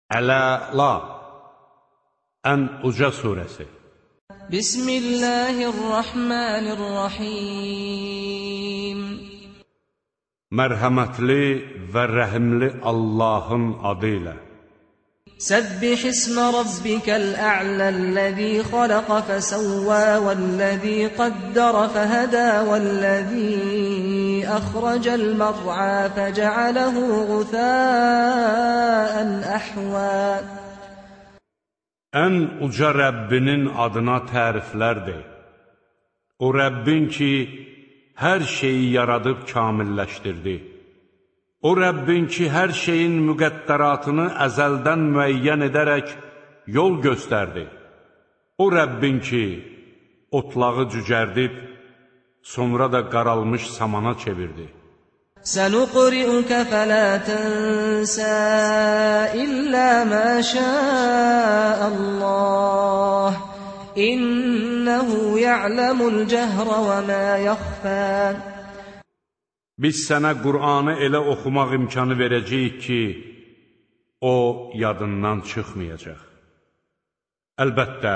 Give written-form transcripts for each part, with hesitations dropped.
Əl-Əla, ən uca surəsi. Bismillahirrahmanirrahim. Mərhəmətli və rəhimli Allahın adı ilə. Səbbih ismə rabbikəl a'ləl-ləzî xaləqə fəsəvvə vəl-ləzî qaddərə fəhədə vəl-ləzî əxrəcəl mər'ə fəcəaləhu ğuthəən əhvə. Ən uca Rəbbinin adına təriflər de. O Rəbbin ki, hər şeyi yaradıb kamilləşdirdi. O Rəbbin ki, hər şeyin müqəddəratını əzəldən müəyyən edərək yol göstərdi. O Rəbbin ki, otlağı cücərdib, sonra da qaralmış samana çevirdi. Sənuqri'ukə fələ tənsə illə mə şəəəlləh. İnnəhu ya'ləmul cəhrə və mə yəxfə. Biz sənə Qur'anı elə oxumaq imkanı verəcəyik ki, o yadından çıxmayacaq. Əlbəttə,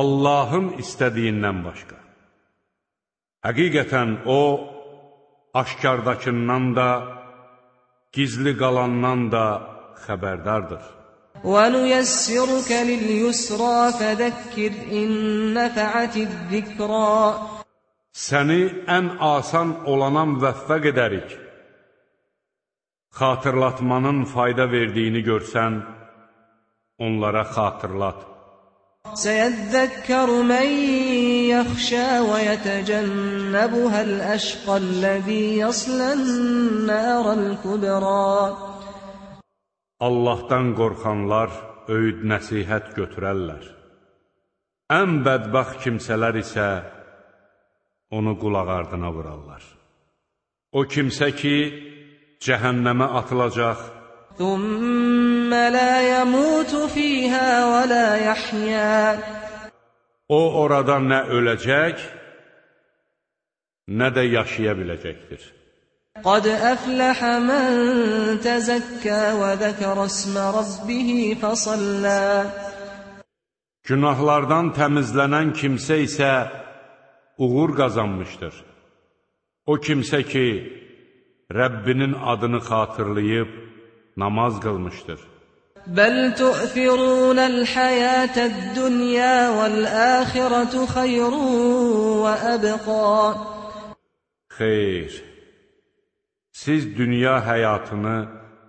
Allahın istədiyindən başqa. Həqiqətən o, aşkardakından da, gizli qalandan da xəbərdardır. وَنُيَسِّرُكَ لِلْيُسْرَى فَذَكِّرْ إِن نَّفَعَتِ الذِّكْرَى. Səni ən asan olana müvəffəq edərik. Xatırlatmanın fayda verdiyini görsən, onlara xatırlat. سَيَذَّكَّرُ مَن يَخْشَىٰ وَيَتَجَنَّبُهَا الْأَشْقَى الَّذِي يَصْلَى النَّارَ الْكُبْرَى. Allahdan qorxanlar öyüd nəsihət götürərlər. Ən bədbəxt kimsələr isə onu qulaq ardına vurarlar. O kimsə ki, cəhənnəmə atılacaq, ثُمَّ لَا يَمُوتُ فِيهَا وَلَا يَحْيَا. O orada nə öləcək, nə də yaşaya biləcəkdir. قَدْ أَفْلَحَ مَن تَزَكَّى وَذَكَرَ اسْمَ رَبِّهِ فَصَلَّى. Günahlardan təmizlənən kimsə isə uğur qazanmışdır. O kimsə ki, Rəbbinin adını xatırlayıb namaz qılmışdır. بَلْ تُؤْثِرُونَ الْحَيَاةَ الدُّنْيَا وَالْآخِرَةُ خَيْرٌ وَأَبْقَى. Xeyr, siz dünya həyatını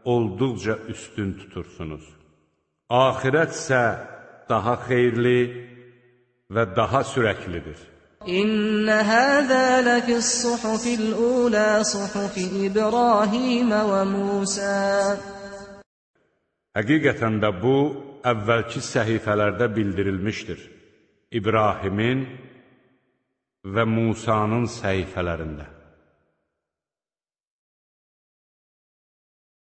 olduqca üstün tutursunuz. Axirət isə daha xeyirli və daha sürəklidir. İnne hâzâ lefis-suhufil ûlâ suhufi İbrahim və Musa. Həqiqətən də bu, əvvəlki səhifələrdə bildirilmişdir. İbrahimin və Musanın səhifələrində.